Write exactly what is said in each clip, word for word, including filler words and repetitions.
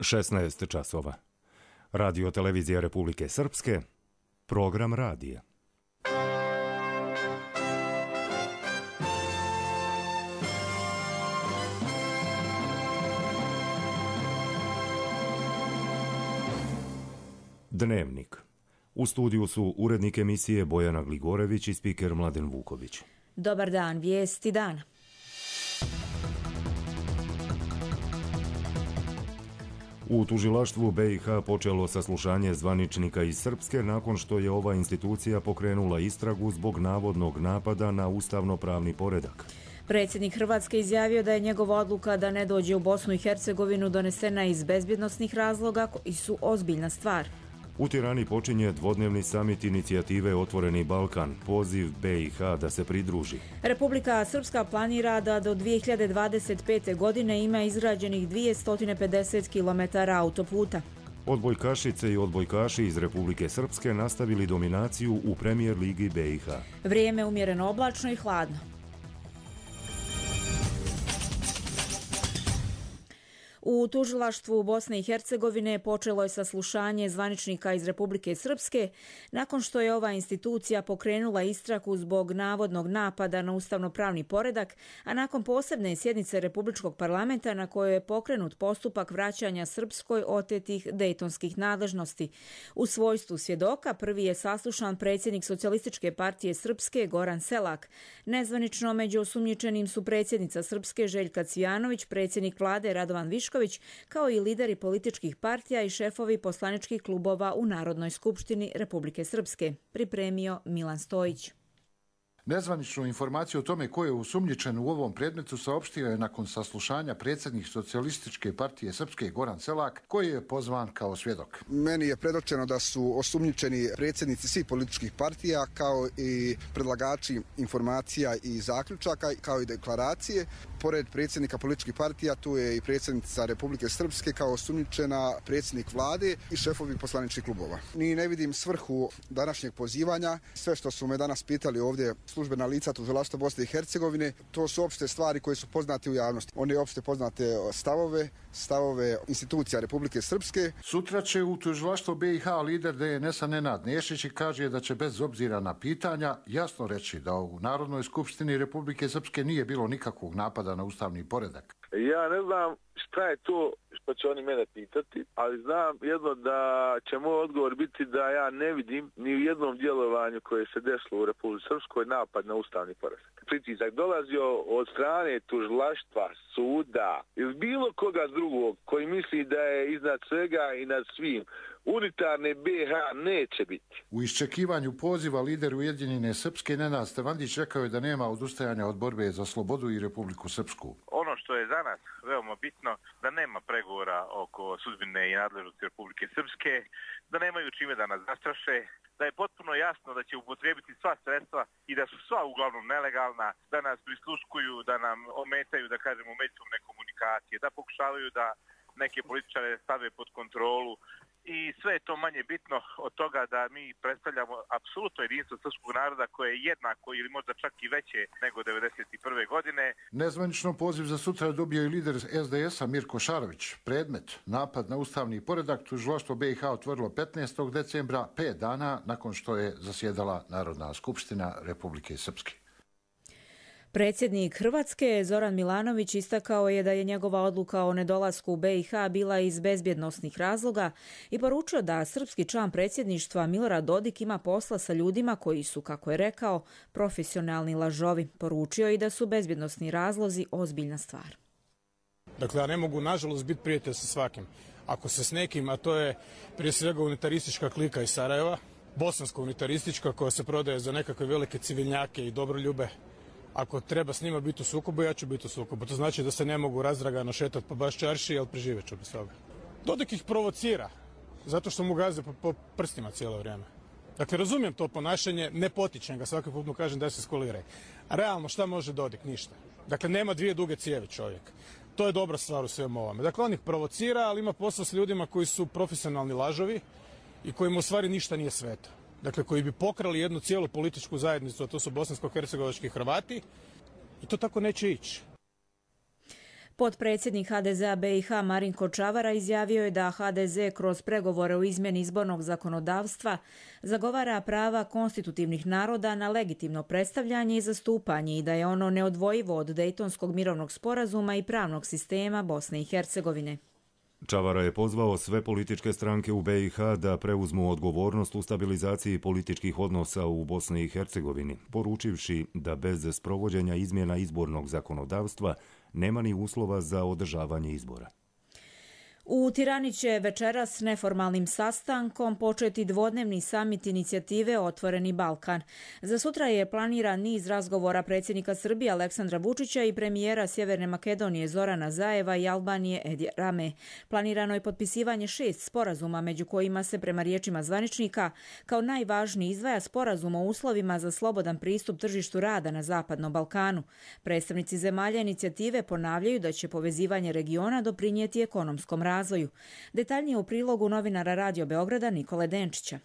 šesnaest časova. Radio televizija Republike Srpske, program radija. Dnevnik. U studiju su urednik emisije Bojana Gligorević i spiker Mladen Vuković. Dobar dan, vijesti dana. U tužilaštvu B i H počelo saslušanje zvaničnika iz Srpske nakon što je ova institucija pokrenula istragu zbog navodnog napada na ustavno-pravni poredak. Predsjednik Hrvatske izjavio da je njegova odluka da ne dođe u Bosnu i Hercegovinu donesena iz bezbjednosnih razloga koji su ozbiljna stvar. U Tirani počinje dvodnevni samit inicijative Otvoreni Balkan, poziv B i H da se pridruži. Republika Srpska planira da do dvije hiljade dvadeset pete. godine ima izgrađenih dvjesto pedeset kilometara autoputa. Odbojkašice i odbojkaši iz Republike Srpske nastavili dominaciju u Premijer ligi B i H. Vrijeme umjereno oblačno i hladno. U tužilaštvu Bosne i Hercegovine počelo je saslušanje zvaničnika iz Republike Srpske nakon što je ova institucija pokrenula istragu zbog navodnog napada na ustavno-pravni poredak, a nakon posebne sjednice Republičkog parlamenta na kojoj je pokrenut postupak vraćanja Srpskoj otetih dejtonskih nadležnosti. U svojstvu svjedoka prvi je saslušan predsjednik Socijalističke partije Srpske Goran Selak. Nezvanično među osumnjičenim su predsjednica Srpske Željka Cvijanović, predsjednik vlade Radovan Višković, kao i lideri političkih partija i šefovi poslaničkih klubova u Narodnoj skupštini Republike Srpske, pripremio Milan Stojić. Nezvaničnu informaciju o tome ko je osumnjičen u ovom predmetu saopštio je nakon saslušanja predsjednik Socijalističke partije Srpske Goran Selak, koji je pozvan kao svjedok. Meni je predočeno da su osumnjičeni predsjednici svih političkih partija, kao i predlagači informacija i zaključaka, kao i deklaracije. Pored predsjednika političkih partija tu je i predsjednica Republike Srpske kao osumnjičena, predsjednik vlade i šefovi poslaničkih klubova. Ni ne vidim svrhu današnjeg pozivanja. Sve što su me danas pitali ovdje službena lica tužilaštva Bosne i Hercegovine, to su opšte stvari koje su poznate u javnosti. One opšte poznate stavove, stavove institucija Republike Srpske. Sutra će u tužilaštvo B i H lider D N S-a Nenad Nešić kaže da će bez obzira na pitanja jasno reći da u Narodnoj skupštini Republike Srpske nije bilo nikakvog napada na ustavni poredak. Ja ne znam šta je to što će oni mene pitati, ali znam jedno da će moj odgovor biti da ja ne vidim ni u jednom djelovanju koje se desilo u Republici Srpskoj napad na ustavni poredak. Pritisak dolazio od strane tužilaštva, suda ili bilo koga drugog koji misli da je iznad svega i nad svim. Unitarne B i H neće biti. U iščekivanju poziva lider Ujedinjene Srpske Nenad Stevandić rekao je da nema odustajanja od borbe za slobodu i Republiku Srpsku. Ono što je za nas veoma bitno, da nema pregovora oko sudbine i nadležnosti Republike Srpske, da nemaju čime da nas zastraše, da je potpuno jasno da će upotrijebiti sva sredstva i da su sva uglavnom nelegalna, da nas prisluškuju, da nam ometaju, da kažemo, međusobne komunikacije, da pokušavaju da neke političare stave pod kontrolu. I sve je to manje bitno od toga da mi predstavljamo apsolutno jedinstvo srpskog naroda koje je jednako ili možda čak i veće nego devedeset prve. godine. Nezvanično poziv za sutra je dobio i lider S D S-a Mirko Šarović. Predmet, napad na ustavni poredak, tužilaštvo B i H otvorilo petnaestog decembra, pet dana nakon što je zasjedala Narodna skupština Republike Srpske. Predsjednik Hrvatske Zoran Milanović istakao je da je njegova odluka o nedolasku u B i H bila iz bezbjednosnih razloga i poručio da srpski član predsjedništva Milorad Dodik ima posla sa ljudima koji su, kako je rekao, profesionalni lažovi. Poručio i da su bezbjednosni razlozi ozbiljna stvar. Dakle, ja ne mogu nažalost biti prijatelj sa svakim. Ako se s nekim, a to je prije svega unitaristička klika iz Sarajeva, bosanska unitaristička koja se prodaje za nekakve velike civilnjake i dobroljube, ako treba s njima biti u sukobu, ja ću biti u sukobu. To znači da se ne mogu razdragano šetati po baš čarši, ali preživjet ću bez toga. Dodik ih provocira, zato što mu gaze po, po prstima cijelo vrijeme. Dakle, razumijem to ponašanje, ne potičem ga, svaki put mu kažem da se skoliraj. A realno, šta može Dodik? Ništa. Dakle, nema dvije duge cijevi čovjek. To je dobra stvar u svemu ovome. Dakle, on ih provocira, ali ima posla s ljudima koji su profesionalni lažovi i kojima u stvari ništa nije sveto. Dakle, koji bi pokrali jednu cijelu političku zajednicu, a to su bosansko-hercegovački Hrvati, i to tako neće ići. Potpredsjednik ha de zea be i ha Marinko Čavara izjavio je da ha de ze kroz pregovore o izmjeni izbornog zakonodavstva zagovara prava konstitutivnih naroda na legitimno predstavljanje i zastupanje i da je ono neodvojivo od Dejtonskog mirovnog sporazuma i pravnog sistema Bosne i Hercegovine. Čavara je pozvao sve političke stranke u be i ha da preuzmu odgovornost u stabilizaciji političkih odnosa u Bosni i Hercegovini, poručivši da bez sprovođenja izmjena izbornog zakonodavstva nema ni uslova za održavanje izbora. U Tirani će večeras neformalnim sastankom početi dvodnevni samit inicijative Otvoreni Balkan. Za sutra je planiran niz razgovora predsjednika Srbije Aleksandra Vučića i premijera Sjeverne Makedonije Zorana Zajeva i Albanije Edija Rame. Planirano je potpisivanje šest sporazuma, među kojima se, prema riječima zvaničnika, kao najvažniji izdvaja sporazum o uslovima za slobodan pristup tržištu rada na Zapadnom Balkanu. Predstavnici zemalja inicijative ponavljaju da će povezivanje regiona doprinijeti ekonomskom razvoju. razvoju. Detaljnije u prilogu novinara Radio Beograda Nikole Denčića.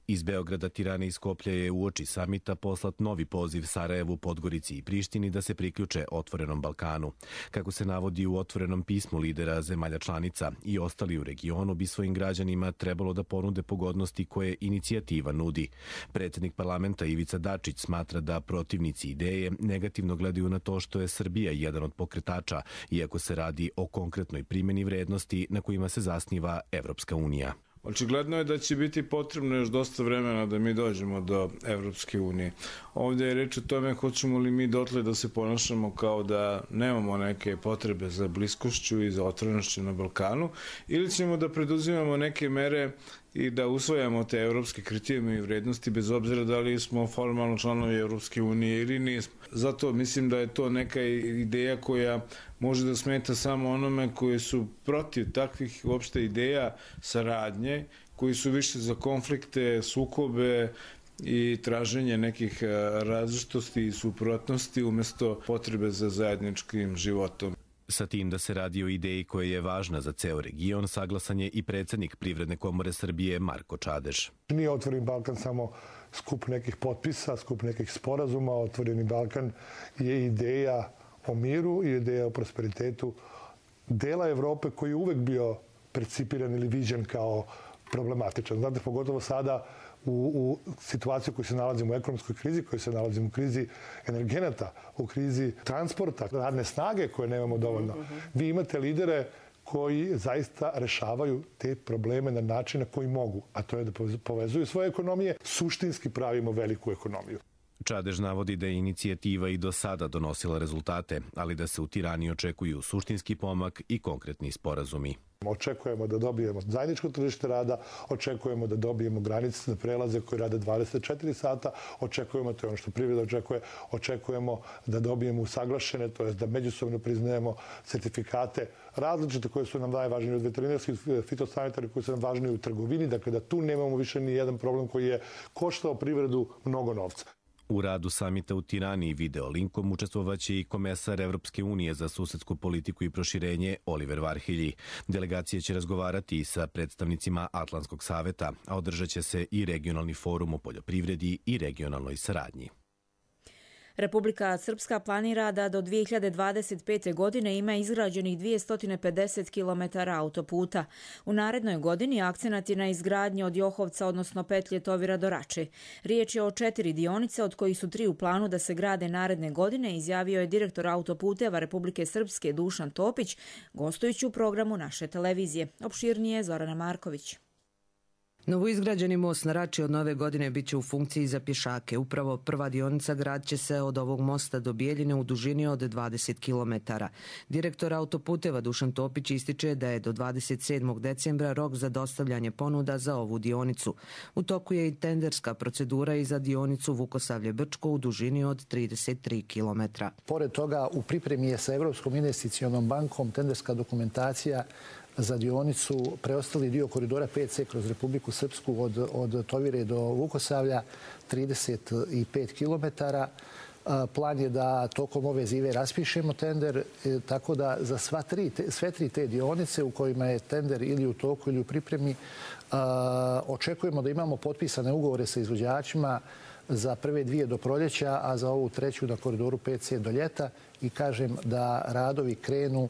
Iz Beograda, Tirane i Skoplja je uoči samita poslat novi poziv Sarajevu, Podgorici i Prištini da se priključe Otvorenom Balkanu. Kako se navodi u otvorenom pismu lidera zemalja članica, i ostali u regionu bi svojim građanima trebalo da ponude pogodnosti koje inicijativa nudi. Predsjednik parlamenta Ivica Dačić smatra da protivnici ideje negativno gledaju na to što je Srbija jedan od pokretača, iako se radi o konkretnoj primjeni vrednosti na kojima se zasniva Evropska unija. Očigledno je da će biti potrebno još dosta vremena da mi dođemo do Evropske unije. Ovdje je reč o tome hoćemo li mi dotle da se ponašamo kao da nemamo neke potrebe za bliskošću i za otvorenošću na Balkanu, ili ćemo da preduzimamo neke mere i da usvojamo te evropske kriterijume i vrednosti bez obzira da li smo formalno članovi Evropske unije ili nismo. Zato mislim da je to neka ideja koja može da smeta samo onome koji su protiv takvih uopšte ideja saradnje, koji su više za konflikte, sukobe i traženje nekih različitosti i suprotnosti umjesto potrebe za zajedničkim životom. Sa tim da se radi o ideji koja je važna za ceo region, saglasan je i predsjednik Privredne komore Srbije Marko Čadež. Nije Otvoreni Balkan samo skup nekih potpisa, skup nekih sporazuma. Otvoreni Balkan je ideja o miru i ideja o prosperitetu dela Evrope koji je uvek bio percipiran ili viđen kao problematičan. Znate, pogotovo sada u, u situaciji u kojoj se nalazimo u ekonomskoj krizi, kojoj se nalazimo u krizi energenata, u krizi transporta, radne snage koje nemamo dovoljno. Vi imate lidere koji zaista rešavaju te probleme na način na koji mogu, a to je da povezuju svoje ekonomije. Suštinski pravimo veliku ekonomiju. Čadež navodi da je inicijativa i do sada donosila rezultate, ali da se u Tirani očekuju suštinski pomak i konkretni sporazumi. Očekujemo da dobijemo zajedničko tržište rada, očekujemo da dobijemo granice za prelaze koje rade dvadeset četiri sata, očekujemo, to je ono što privreda očekuje, očekujemo da dobijemo usaglašene, to je da međusobno priznajemo certifikate različite koje su nam najvažnije od veterinarskih, fitosanitarnih koji su nam važnije u trgovini, dakle da tu nemamo više ni jedan problem koji je koštao privredu mnogo novca. U radu samita u Tirani i video linkom učestvovaće i komesar Evropske unije za susedsku politiku i proširenje Oliver Varhelji. Delegacija će razgovarati i sa predstavnicima Atlantskog saveta, a održat će se i regionalni forum o poljoprivredi i regionalnoj saradnji. Republika Srpska planira da do dvije hiljade dvadeset pete. godine ima izgrađenih dvjesto pedeset kilometara autoputa. U narednoj godini akcenat je na izgradnji od Johovca, odnosno petlje Tovira do Rače. Riječ je o četiri dionice, od kojih su tri u planu da se grade naredne godine, izjavio je direktor autoputeva Republike Srpske Dušan Topić, gostujući u programu naše televizije. Opširnije Zorana Marković. Novoizgrađeni most na Rači od nove godine biće u funkciji za pješake. Upravo prva dionica grad će se od ovog mosta do Bijeljine u dužini od dvadeset kilometara. Direktor autoputeva Dušan Topić ističe da je do dvadeset sedmog decembra rok za dostavljanje ponuda za ovu dionicu. U toku je i tenderska procedura i za dionicu Vukosavlje-Brčko u dužini od trideset tri kilometra. Pored toga, u pripremi je sa Evropskom investicionom bankom tenderska dokumentacija za dionicu preostali dio koridora pet ce kroz Republiku Srpsku od, od Tovire do Vukosavlja, trideset pet kilometara. Plan je da tokom ove zive raspišemo tender, tako da za sva tri, te, sve tri te dionice u kojima je tender ili u toku ili u pripremi, očekujemo da imamo potpisane ugovore sa izvođačima za prve dvije do proljeća, a za ovu treću na koridoru pet ce do ljeta i kažem da radovi krenu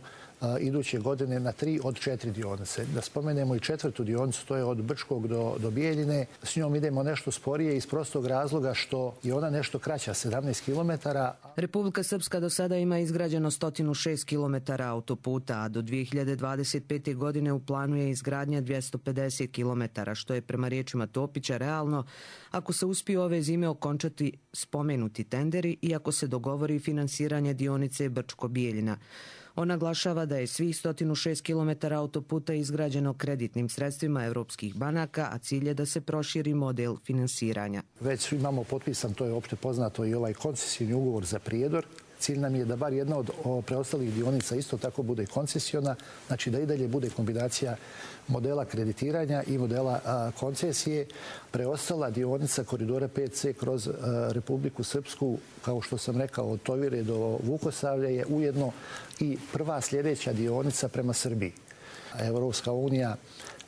iduće godine na tri od četiri dionice. Da spomenemo i četvrtu dionicu, to je od Brčkog do, do Bijeljine. S njom idemo nešto sporije iz prostog razloga što je ona nešto kraća, sedamnaest kilometara. Republika Srpska do sada ima izgrađeno sto šest kilometara autoputa, a do dvije hiljade dvadeset pete. godine u planu je izgradnja dvjesto pedeset kilometara, što je prema riječima Topića realno ako se uspiju ove zime okončati spomenuti tenderi i ako se dogovori finansiranje dionice Brčko-Bijeljina. On naglašava da je svih sto šest kilometara autoputa izgrađeno kreditnim sredstvima evropskih banaka, a cilj je da se proširi model finansiranja. Već imamo potpisan, to je opšte poznato, i ovaj koncesijni ugovor za Prijedor. Cilj nam je da bar jedna od preostalih dionica isto tako bude koncesiona, znači da i dalje bude kombinacija modela kreditiranja i modela a, koncesije. Preostala dionica koridora pet ce kroz a, Republiku Srpsku, kao što sam rekao, od Tovire do Vukosavlja je ujedno i prva sljedeća dionica prema Srbiji. Evropska unija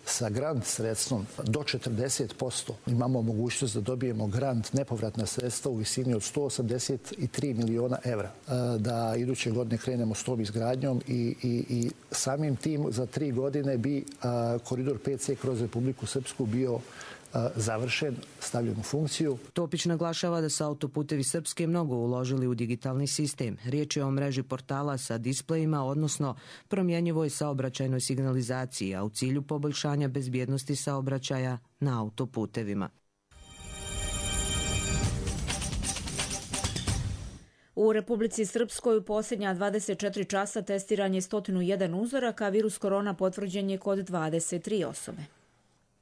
sa grant sredstvom do četrdeset posto imamo mogućnost da dobijemo grant, nepovratna sredstva u visini od sto osamdeset tri miliona evra. Da iduće godine krenemo s tom izgradnjom i, i, i samim tim za tri godine bi a, koridor pet ce kroz Republiku Srpsku bio završen, stavljen u funkciju. Topić naglašava da su autoputevi Srpske mnogo uložili u digitalni sistem. Riječ je o mreži portala sa displejima, odnosno promjenjivoj saobraćajnoj signalizaciji, a u cilju poboljšanja bezbjednosti saobraćaja na autoputevima. U Republici Srpskoj u posljednja dvadeset četiri časa testiran je sto jedan uzoraka, a virus korona potvrđen je kod dvadeset tri osobe.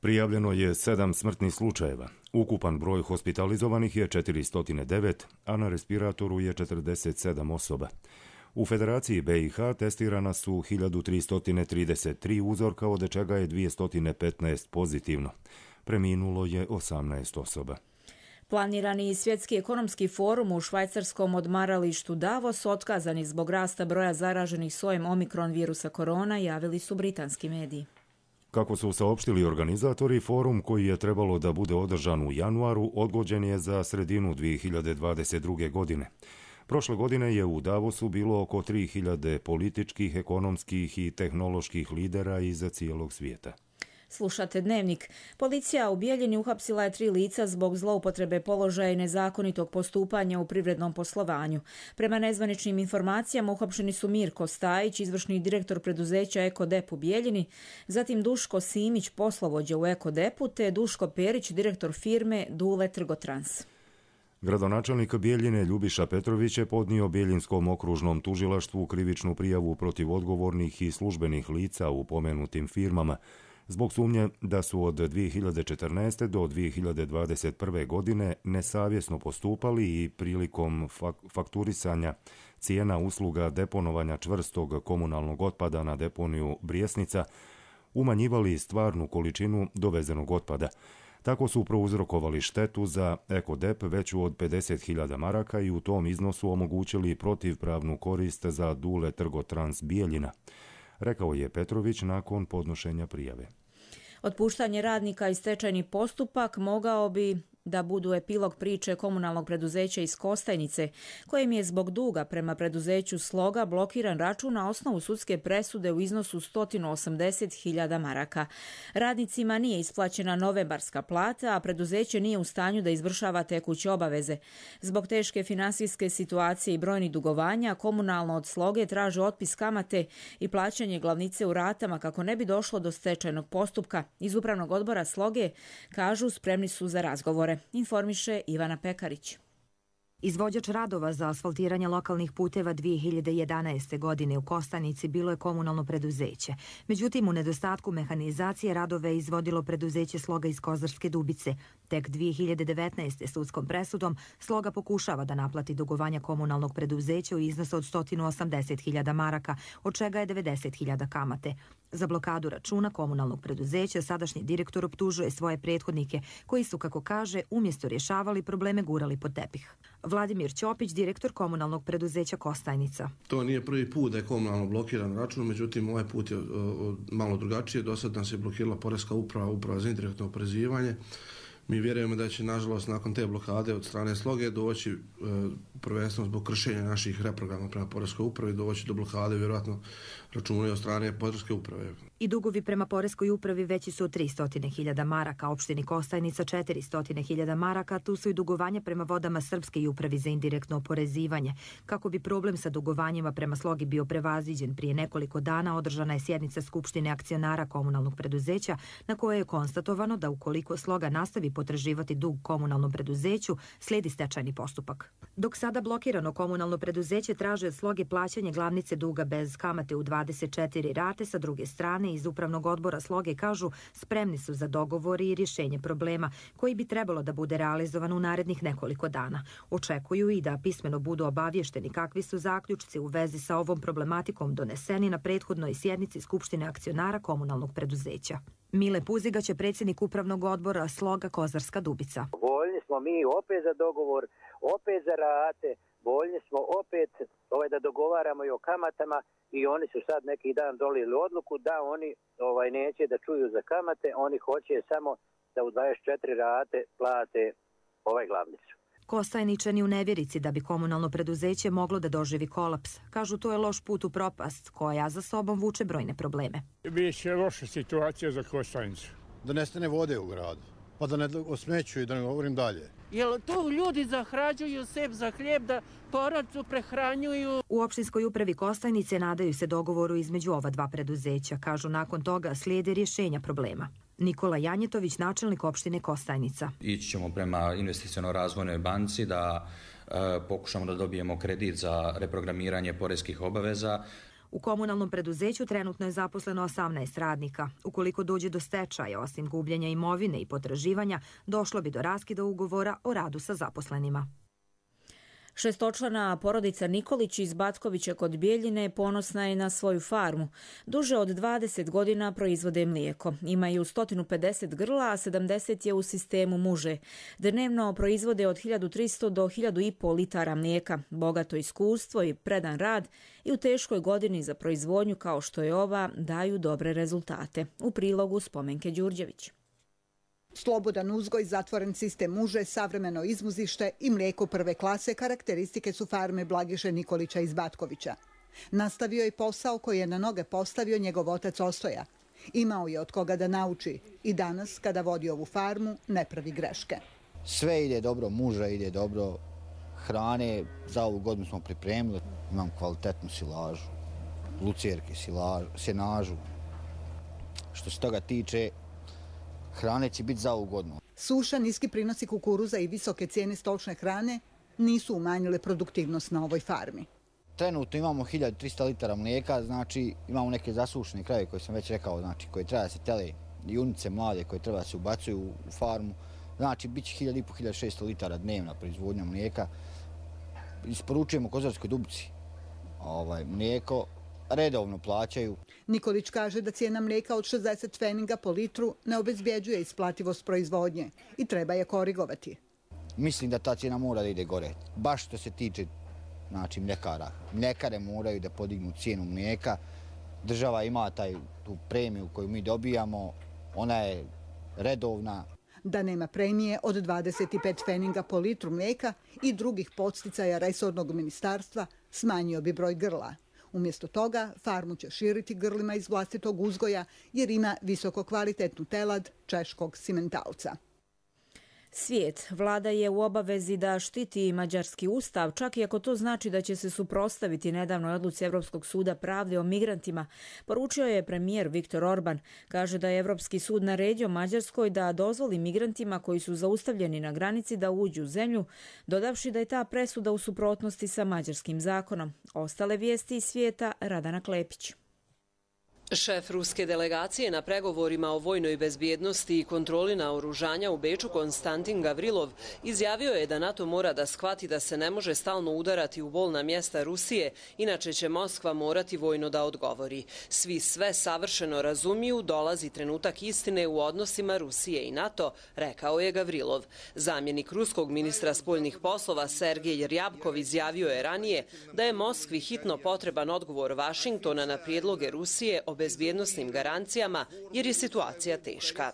Prijavljeno je sedam smrtnih slučajeva. Ukupan broj hospitalizovanih je četiristo devet, a na respiratoru je četrdeset sedam osoba. U Federaciji be i ha testirana su hiljadu tristo trideset tri uzorka, od čega je dvjesto petnaest pozitivno. Preminulo je osamnaest osoba. Planirani svjetski ekonomski forum u švajcarskom odmaralištu Davos otkazan je zbog rasta broja zaraženih sojem omikron virusa korona, javili su britanski mediji. Kako su saopštili organizatori, forum koji je trebalo da bude održan u januaru odgođen je za sredinu dvije hiljade dvadeset druge. godine. Prošle godine je u Davosu bilo oko tri hiljade političkih, ekonomskih i tehnoloških lidera iz cijelog svijeta. Slušate Dnevnik. Policija u Bijeljini uhapsila je tri lica zbog zloupotrebe položaja i nezakonitog postupanja u privrednom poslovanju. Prema nezvaničnim informacijama uhapšeni su Mirko Stajić, izvršni direktor preduzeća Ekodep u Bijeljini, zatim Duško Simić, poslovođa u Ekodepu, te Duško Perić, direktor firme Dule Trgotrans. Gradonačelnik Bijeljine Ljubiša Petrović je podnio Bijeljinskom okružnom tužilaštvu krivičnu prijavu protiv odgovornih i službenih lica u pomenutim firmama, zbog sumnje da su od dvije hiljade četrnaeste. do dvije hiljade dvadeset prve. godine nesavjesno postupali i prilikom fakturisanja cijena usluga deponovanja čvrstog komunalnog otpada na deponiju Brijesnica umanjivali stvarnu količinu dovezenog otpada. Tako su prouzrokovali štetu za Ekodep veću od pedeset hiljada maraka i u tom iznosu omogućili protivpravnu korist za Dule Trgotrans Bijeljina, rekao je Petrović nakon podnošenja prijave. Otpuštanje radnika i stečajni postupak mogao bi da budu epilog priče komunalnog preduzeća iz Kostajnice, kojem je zbog duga prema preduzeću Sloga blokiran račun na osnovu sudske presude u iznosu sto osamdeset hiljada maraka. Radnicima nije isplaćena novembarska plata, a preduzeće nije u stanju da izvršava tekuće obaveze. Zbog teške finansijske situacije i brojnih dugovanja, komunalno od Sloge traže otpis kamate i plaćanje glavnice u ratama kako ne bi došlo do stečajnog postupka. Iz upravnog odbora Sloge kažu spremni su za razgovore. Informiše Ivana Pekarić. Izvođač radova za asfaltiranje lokalnih puteva dvije hiljade jedanaeste. godine u Kostajnici bilo je komunalno preduzeće. Međutim, u nedostatku mehanizacije radove izvodilo preduzeće Sloga iz Kozarske Dubice. Tek dvije hiljade devetnaeste. sudskom presudom Sloga pokušava da naplati dugovanja komunalnog preduzeća u iznosu od sto osamdeset hiljada maraka, od čega je devedeset hiljada kamate. Za blokadu računa komunalnog preduzeća sadašnji direktor optužuje svoje prethodnike koji su, kako kaže, umjesto rješavali probleme gurali pod tepih. Vladimir Ćopić, direktor komunalnog preduzeća Kostajnica. To nije prvi put da je komunalno blokiran račun, međutim ovaj put je malo drugačije. Do sad nas je blokirala Poreska uprava, uprava za indirektno oporezivanje. Mi vjerujemo da će, nažalost, nakon te blokade od strane Sloge doći, prvenstveno zbog kršenja naših reprograma prema Poreskoj upravi, doći do blokade, vjerojatno računaju od strane Poreske uprave. I dugovi prema Poreskoj upravi veći su tristo hiljada maraka, opštini Kostajnica četiristo hiljada maraka, tu su i dugovanja prema Vodama Srpske i upravi za indirektno oporezivanje. Kako bi problem sa dugovanjima prema Slogi bio prevaziđen, prije nekoliko dana održana je sjednica Skupštine akcionara komunalnog preduzeća na kojoj je konstatovano da ukoliko Sloga nastavi potraživati dug komunalnom preduzeću, slijedi stečajni postupak. Dok sada blokirano komunalno preduzeće traže od Sloge plaćanje glavnice duga bez kamate u dvadeset četiri rate, sa druge strane iz upravnog odbora Sloge kažu spremni su za dogovor i rješenje problema koji bi trebalo da bude realizovan u narednih nekoliko dana. Očekuju i da pismeno budu obavješteni kakvi su zaključci u vezi sa ovom problematikom doneseni na prethodnoj sjednici Skupštine akcionara komunalnog preduzeća. Mile Puzigać je predsjednik upravnog odbora Sloga Kozarska Dubica. Voljni smo mi opet za dogovor, opet za rate, voljni smo opet ovaj, da dogovaramo i o kamatama i oni su sad neki dan dolili odluku da oni ovaj, neće da čuju za kamate, oni hoće samo da u dvadeset četiri rate plate ovaj glavnicu. Kostajničani u nevjerici da bi komunalno preduzeće moglo da doživi kolaps. Kažu to je loš put u propast koja za sobom vuče brojne probleme. Biće loša situacija za Kostajnicu. Da nestane vode u gradu, pa da ne osmećuju, da ne govorim dalje. Jel to ljudi zahrađuju sebe za hljeb da porodicu prehranjuju? U opštinskoj upravi Kostajnice nadaju se dogovoru između ova dva preduzeća. Kažu nakon toga slijede rješenja problema. Nikola Janjetović, načelnik opštine Kostajnica. Ići ćemo prema investiciono-razvojnoj banci da e, pokušamo da dobijemo kredit za reprogramiranje poreskih obaveza. U komunalnom preduzeću trenutno je zaposleno osamnaest radnika. Ukoliko dođe do stečaja, osim gubljenja imovine i potraživanja, došlo bi do raskida ugovora o radu sa zaposlenima. Šestočlana porodica Nikolić iz Batkovića kod Bijeljine ponosna je na svoju farmu. Duže od dvadeset godina proizvode mlijeko. Imaju sto pedeset grla, a sedamdeset je u sistemu muže. Dnevno proizvode od hiljadu tristo do hiljadu i pol litara mlijeka. Bogato iskustvo i predan rad i u teškoj godini za proizvodnju kao što je ova daju dobre rezultate. U prilogu Spomenke Đurđević. Slobodan uzgoj, zatvoren sistem muže, savremeno izmuzište i mlijeko prve klase karakteristike su farme Blagiše Nikolića iz Batkovića. Nastavio je posao koji je na noge postavio njegov otac Ostoja. Imao je od koga da nauči i danas, kada vodi ovu farmu, ne pravi greške. Sve ide dobro, muža ide dobro, hrane za ovu godinu smo pripremili. Imam kvalitetnu silažu, lucerke, silažu, senažu. Što se toga tiče, hrane će biti za ovu godinu. Suša, niski prinosi kukuruza i visoke cijene stočne hrane nisu umanjile produktivnost na ovoj farmi. Trenutno imamo hiljadu trista litara mlijeka, znači imamo neke zasušene krave koje sam već rekao, znači koje treba da se tele, junice mlade koje treba da se ubacuju u farmu. Znači bit će hiljadu i po, hiljadu šesto litara dnevna proizvodnja mlijeka. Isporučujemo Kozarskoj Dubici ovaj, mlijeko. Redovno plaćaju. Nikolić kaže da cijena mlijeka od šezdeset pfeninga po litru ne obezbjeđuje isplativost proizvodnje i treba je korigovati. Mislim da ta cijena mora da ide gore. Baš što se tiče znači, mljekara. Mljekare moraju da podignu cijenu mlijeka. Država ima taj, tu premiju koju mi dobijamo. Ona je redovna. Da nema premije od dvadeset pet pfeninga po litru mlijeka i drugih podsticaja resornog ministarstva, smanjio bi broj grla. Umjesto toga, farmu će širiti grlima iz vlastitog uzgoja jer ima visoko kvalitetnu telad češkog simentalca. Svijet. Vlada je u obavezi da štiti mađarski ustav, čak i ako to znači da će se suprotstaviti nedavnoj odluci Evropskog suda pravde o migrantima, poručio je premijer Viktor Orban. Kaže da je Evropski sud naredio Mađarskoj da dozvoli migrantima koji su zaustavljeni na granici da uđu u zemlju, dodavši da je ta presuda u suprotnosti sa mađarskim zakonom. Ostale vijesti iz svijeta, Radana Klepić. Šef ruske delegacije na pregovorima o vojnoj bezbjednosti i kontroli naoružanja u Beču Konstantin Gavrilov izjavio je da NATO mora da shvati da se ne može stalno udarati u bolna mjesta Rusije, inače će Moskva morati vojno da odgovori. Svi sve savršeno razumiju, dolazi trenutak istine u odnosima Rusije i NATO, rekao je Gavrilov. Zamjenik ruskog ministra spoljnih poslova Sergej Rjabkov izjavio je ranije da je Moskvi hitno potreban odgovor Vašingtona na prijedloge Rusije o bezbjednosnim garancijama jer je situacija teška.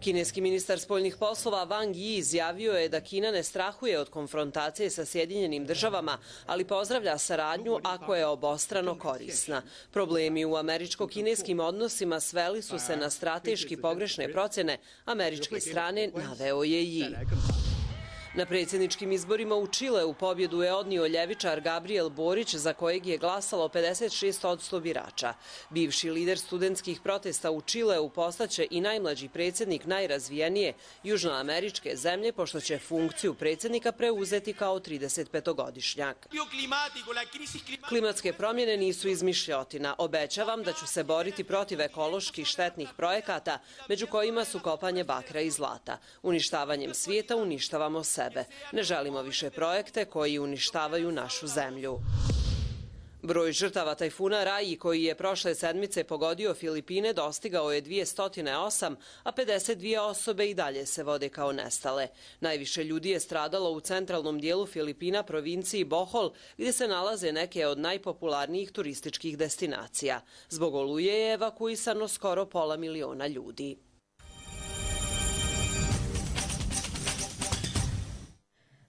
Kineski ministar spoljnih poslova Wang Yi izjavio je da Kina ne strahuje od konfrontacije sa Sjedinjenim državama, ali pozdravlja saradnju ako je obostrano korisna. Problemi u američko-kineskim odnosima sveli su se na strateški pogrešne procjene američke strane, naveo je Yi. Na predsjedničkim izborima u Čileu pobjedu je odnio ljevičar Gabriel Borić, za kojeg je glasalo pedeset šest posto birača. Bivši lider studentskih protesta u Čileu postaće i najmlađi predsjednik najrazvijenije južnoameričke zemlje, pošto će funkciju predsjednika preuzeti kao tridesetpetogodišnjak. Klimatske promjene nisu izmišljotina. Obećavam da ću se boriti protiv ekološki štetnih projekata, među kojima su kopanje bakra i zlata. Uništavanjem svijeta uništavamo sebe. Ne želimo više projekte koji uništavaju našu zemlju. Broj žrtava tajfuna Rai, koji je prošle sedmice pogodio Filipine, dostigao je dvjesto osam, a pedeset dvije osobe i dalje se vode kao nestale. Najviše ljudi je stradalo u centralnom dijelu Filipina, provinciji Bohol, gdje se nalaze neke od najpopularnijih turističkih destinacija. Zbog oluje je evakuisano skoro pola miliona ljudi.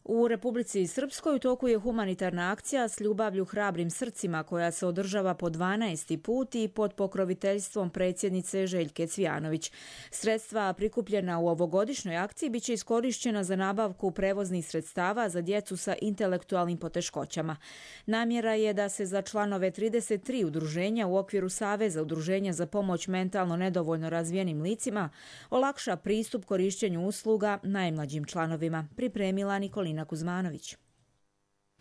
U Republici Srpskoj u toku je humanitarna akcija S ljubavlju hrabrim srcima koja se održava po dvanaesti put i pod pokroviteljstvom predsjednice Željke Cvijanović. Sredstva prikupljena u ovogodišnjoj akciji biće iskorišćena za nabavku prevoznih sredstava za djecu sa intelektualnim poteškoćama. Namjera je da se za članove trideset tri udruženja u okviru Saveza udruženja za pomoć mentalno nedovoljno razvijenim licima olakša pristup korišćenju usluga najmlađim članovima, pripremila Nikolina Kuzmanović.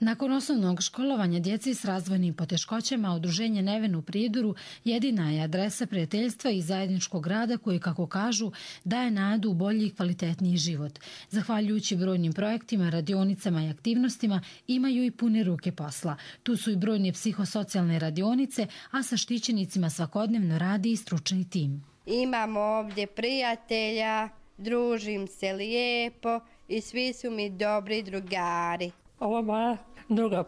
Nakon osnovnog školovanja djeci s razvojnim poteškoćama, udruženje Neven u Prijedoru jedina je adresa prijateljstva i zajedničkog rada koji, kako kažu, daje nadu u bolji i kvalitetniji život. Zahvaljujući brojnim projektima, radionicama i aktivnostima, imaju i pune ruke posla. Tu su i brojne psihosocijalne radionice, a sa štićenicima svakodnevno radi i stručni tim. Imamo ovdje prijatelja, družim se lijepo i svi su mi dobri drugari. Ovo je moja druga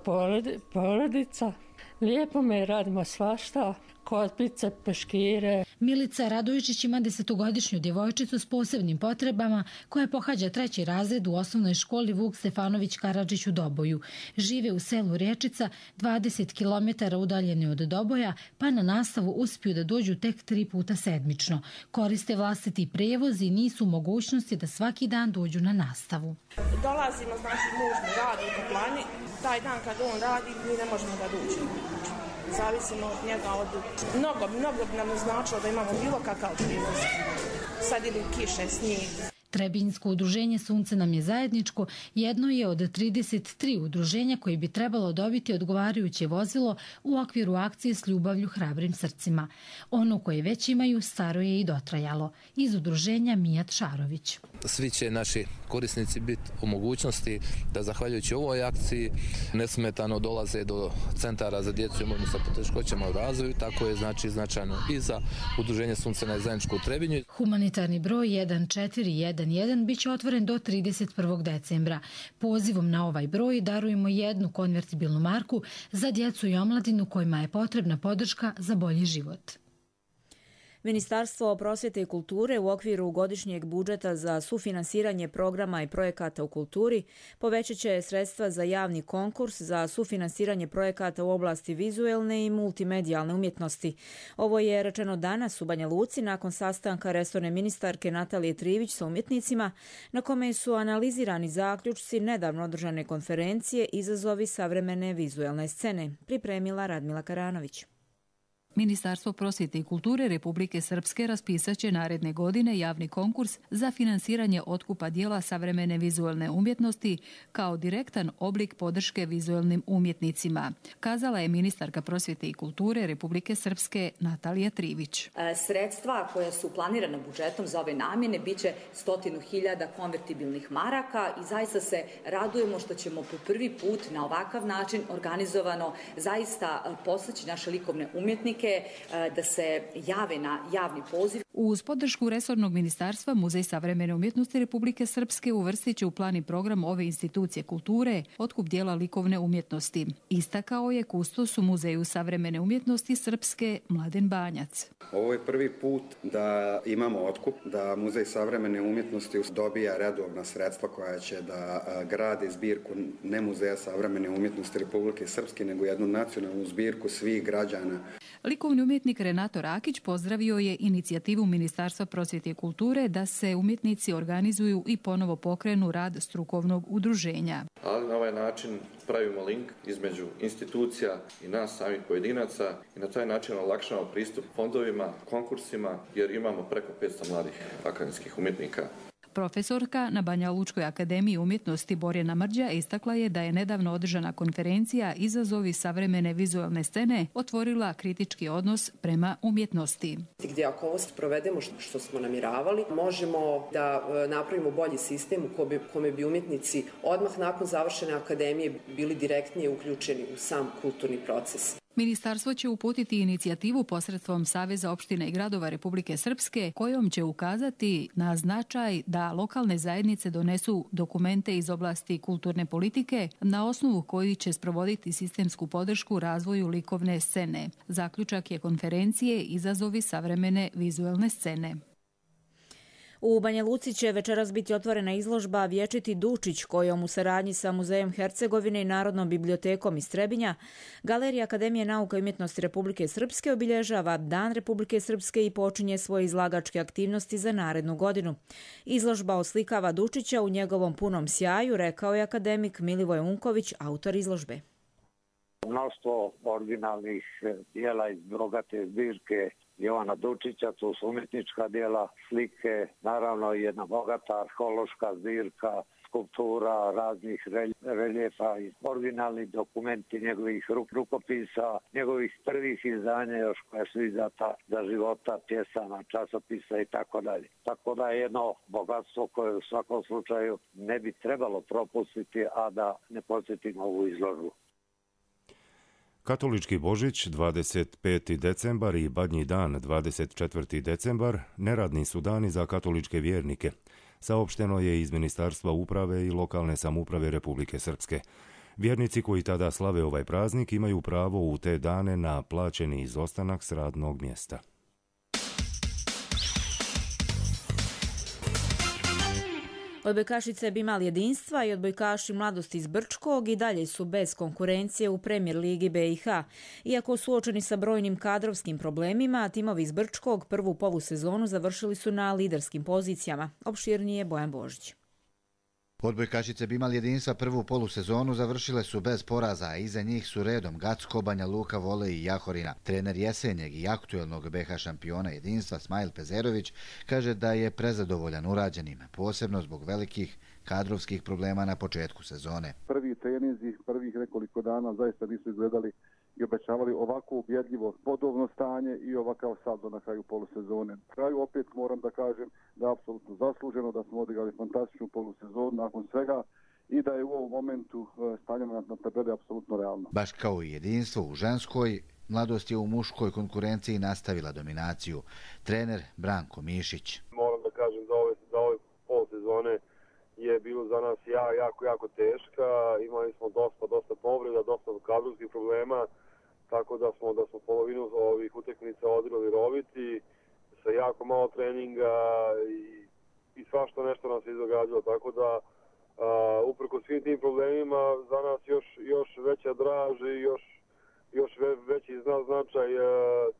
porodica. Lijepo me, radimo svašta, kotpice, peškire. Milica Radovičić ima desetogodišnju djevojčicu s posebnim potrebama koja pohađa treći razred u osnovnoj školi Vuk Stefanović Karadžić u Doboju. Žive u selu Riječica, dvadeset kilometara udaljeni od Doboja, pa na nastavu uspiju da dođu tek tri puta sedmično. Koriste vlastiti prevoz i nisu u mogućnosti da svaki dan dođu na nastavu. Dolazimo, znači muž mi radi u toplani, taj dan kad on radi mi ne možemo da dođemo. Zavisimo od njega, od mnogo, mnogo bi nam značilo da imamo bilo kakav prijevoz. Sad idu kiše, snijeg. Trebinjsko udruženje Sunce nam je zajedničko jedno je od trideset tri udruženja koji bi trebalo dobiti odgovarajuće vozilo u okviru akcije S ljubavlju hrabrim srcima. Ono koje već imaju staro je i dotrajalo. Iz udruženja Mijat Šarović. Svi će naši korisnici biti u mogućnosti da zahvaljujući ovoj akciji nesmetano dolaze do centara za djecu i imovinu sa poteškoćama u razvoju, tako je znači značajno i za udruženje Sunce nam je zajedničko u Trebinju. Humanitarni broj jedan četiri jedan jedan biće otvoren do trideset prvog decembra. Pozivom na ovaj broj darujemo jednu konvertibilnu marku za djecu i omladinu kojima je potrebna podrška za bolji život. Ministarstvo prosvjete i kulture u okviru godišnjeg budžeta za sufinansiranje programa i projekata u kulturi povećat će sredstva za javni konkurs za sufinansiranje projekata u oblasti vizuelne i multimedijalne umjetnosti. Ovo je rečeno danas u Banja Luci nakon sastanka resorne ministarke Natalije Trivić sa umjetnicima, na kome su analizirani zaključci nedavno održane konferencije Izazovi savremene vizuelne scene, pripremila Radmila Karanović. Ministarstvo prosvjete i kulture Republike Srpske raspisat će naredne godine javni konkurs za finansiranje otkupa dijela savremene vizualne umjetnosti kao direktan oblik podrške vizualnim umjetnicima, kazala je ministarka prosvjete i kulture Republike Srpske Natalija Trivić. Sredstva koja su planirana budžetom za ove namjene biće stotinu hiljada konvertibilnih maraka i zaista se radujemo što ćemo po prvi put na ovakav način organizovano zaista postaći naše likovne umjetnike prilike da se jave na javni poziv. Uz podršku resornog ministarstva, Muzej savremene umjetnosti Republike Srpske uvrstit će u plan i program ove institucije kulture otkup dijela likovne umjetnosti. Istakao je kustos u Muzeju savremene umjetnosti Srpske Mladen Banjac. Ovo je prvi put da imamo otkup, da Muzej savremene umjetnosti dobija redovna sredstva koja će da gradi zbirku ne Muzeja savremene umjetnosti Republike Srpske, nego jednu nacionalnu zbirku svih građana. Likovni umjetnik Renato Rakić pozdravio je inicijativu Ministarstva prosvjete i kulture da se umjetnici organizuju i ponovo pokrenu rad strukovnog udruženja. Ali na ovaj način pravimo link između institucija i nas samih pojedinaca i na taj način olakšamo pristup fondovima, konkursima, jer imamo preko petsto mladih akademskih umjetnika. Profesorka na Banja Lučkoj akademiji umjetnosti Borjana Mrđa istakla je da je nedavno održana konferencija Izazovi savremene vizualne scene otvorila kritički odnos prema umjetnosti. Gdje ako ovo provedemo što smo namiravali, možemo da napravimo bolji sistem u kome bi umjetnici odmah nakon završene akademije bili direktnije uključeni u sam kulturni proces. Ministarstvo će uputiti inicijativu posredstvom Saveza opština i gradova Republike Srpske kojom će ukazati na značaj da lokalne zajednice donesu dokumente iz oblasti kulturne politike na osnovu koji će sprovoditi sistemsku podršku razvoju likovne scene. Zaključak je konferencije Izazovi savremene vizualne scene. U Banja Luci će večeras biti otvorena izložba Vječiti Dučić, kojom u saradnji sa Muzejom Hercegovine i Narodnom bibliotekom iz Trebinja Galerija Akademije nauka i umjetnosti Republike Srpske obilježava Dan Republike Srpske i počinje svoje izlagačke aktivnosti za narednu godinu. Izložba oslikava Dučića u njegovom punom sjaju, rekao je akademik Milivoj Unković, autor izložbe. Mnoštvo originalnih dijela iz bogate zbirke Jovana Dučića, to su umjetnička dijela, slike, naravno i jedna bogata arheološka zbirka, skulptura, raznih reljefa i originalni dokumenti njegovih rukopisa, njegovih prvih izdanja još koja su izdata za života, pjesama, časopisa i tako dalje. Tako da je jedno bogatstvo koje u svakom slučaju ne bi trebalo propustiti, a da ne posjetimo ovu izložbu. Katolički Božić dvadeset peti decembar i Badnji dan dvadeset četvrti decembar neradni su dani za katoličke vjernike. Saopšteno je iz Ministarstva uprave i lokalne samouprave Republike Srpske. Vjernici koji tada slave ovaj praznik imaju pravo u te dane na plaćeni izostanak s radnog mjesta. Odbojkašice bi imali jedinstva i odbojkaši Mladosti iz Brčkog i dalje su bez konkurencije u Premier ligi B i H. Iako suočeni sa brojnim kadrovskim problemima, timovi iz Brčkog prvu polusezonu završili su na liderskim pozicijama. Opširnije Bojan Božić. Odbojkašice bi imali jedinstva prvu polusezonu, završile su bez poraza, a iza njih su redom Gacko, Banja Luka, Vole i Jahorina. Trener jesenjeg i aktuelnog B H šampiona jedinstva Smajl Pezerović kaže da je prezadovoljan urađenim, posebno zbog velikih kadrovskih problema na početku sezone. Prvi treninzi, prvih nekoliko dana zaista nisu izgledali i obećavali ovako ubjedljivo bodovno stanje i ovakav saldo na kraju polusezone. Na kraju opet moram da kažem da je apsolutno zasluženo, da smo odigrali fantastičnu polusezonu nakon svega i da je u ovom momentu stanje na tabeli apsolutno realno. Baš kao i jedinstvo u ženskoj, Mladost je u muškoj konkurenciji nastavila dominaciju. Trener Branko Mišić. Moram da kažem da ove, da ove polusezone je bilo za nas ja, jako, jako teška. Imali smo dosta, dosta povreda, dosta kadrovskih problema, tako da smo, da smo polovinu ovih utakmica odigrali roviti, sa jako malo treninga i, i svašta nešto nas je izdogađalo, tako da a, uprko svim tim problemima za nas još, još veća draž i još, još veći značaj a,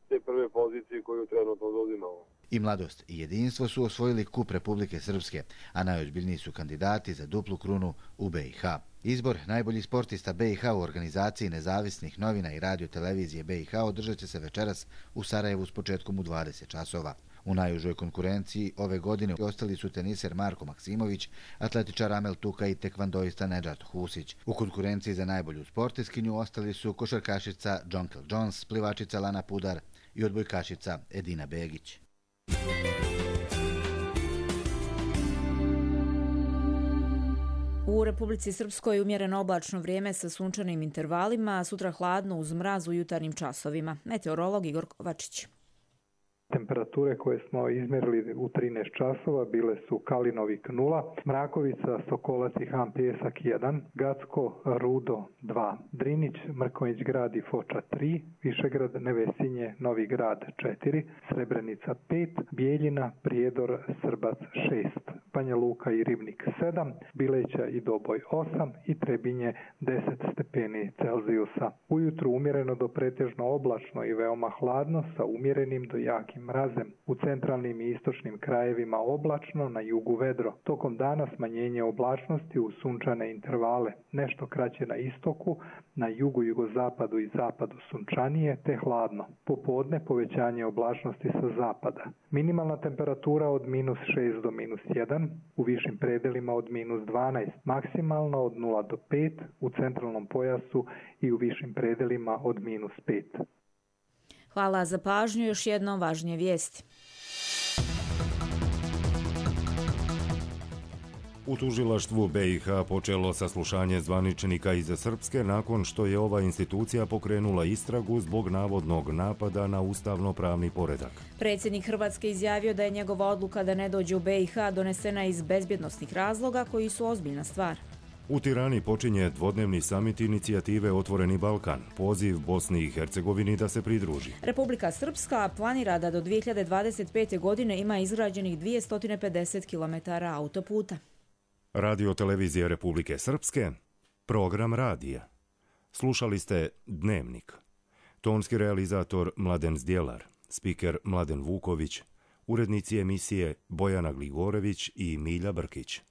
te prve pozicije koju trenutno zauzimamo. I Mladost i jedinstvo su osvojili kup Republike Srpske, a najozbiljniji su kandidati za duplu krunu u B i H. Izbor najboljih sportista B i H u organizaciji nezavisnih novina i radio televizije B i H održat će se večeras u Sarajevu s početkom u dvadeset časova. U najužoj konkurenciji ove godine ostali su teniser Marko Maksimović, atletičar Amel Tuka i tekvandoista Nedžad Husić. U konkurenciji za najbolju sportiskinju ostali su košarkašica Jonkel Jones, plivačica Lana Pudar i odbojkašica Edina Begić. U Republici Srpskoj umjereno oblačno vrijeme sa sunčanim intervalima, a sutra hladno uz mraz u jutarnjim časovima. Meteorolog Igor Kovačić. Temperature koje smo izmjerili u trinaest časova bile su Kalinovik nula, Mrakovica, Sokolac i Han Pjesak jedan, Gacko, Rudo dva, Drinić, Mrkonjić grad i Foča tri, Višegrad, Nevesinje, Novi grad četiri, Srebrenica pet, Bijeljina, Prijedor, Srbac šest, Banja Luka i Ribnik sedam, Bileća i Doboj osam i Trebinje deset stepeni Celzijusa. Ujutru umjereno do pretežno oblačno i veoma hladno sa umjerenim do jakim mrazem. U centralnim i istočnim krajevima oblačno, na jugu vedro. Tokom dana smanjenje oblačnosti u sunčane intervale. Nešto kraće na istoku, na jugu, jugozapadu i zapadu sunčanije te hladno. Popodne povećanje oblačnosti sa zapada. Minimalna temperatura od minus šest do minus jedan, u višim predelima od minus dvanaest, maksimalno od nula do pet, u centralnom pojasu i u višim predelima od minus pet. Hvala za pažnju, još jednom važnije vijesti. U tužilaštvu B i H počelo saslušanje zvaničnika iz Srpske nakon što je ova institucija pokrenula istragu zbog navodnog napada na ustavno-pravni poredak. Predsjednik Hrvatske izjavio da je njegova odluka da ne dođe u B i H donesena iz bezbjednosnih razloga koji su ozbiljna stvar. U Tirani počinje dvodnevni samit inicijative Otvoreni Balkan, poziv Bosni i Hercegovini da se pridruži. Republika Srpska planira da do dvije hiljade dvadeset pete. godine ima izgrađenih dvjesto pedeset kilometara autoputa. Radio televizije Republike Srpske, program radija. Slušali ste Dnevnik. Tonski realizator Mladen Zdjelar, spiker Mladen Vuković, urednici emisije Bojana Gligorević i Milja Brkić.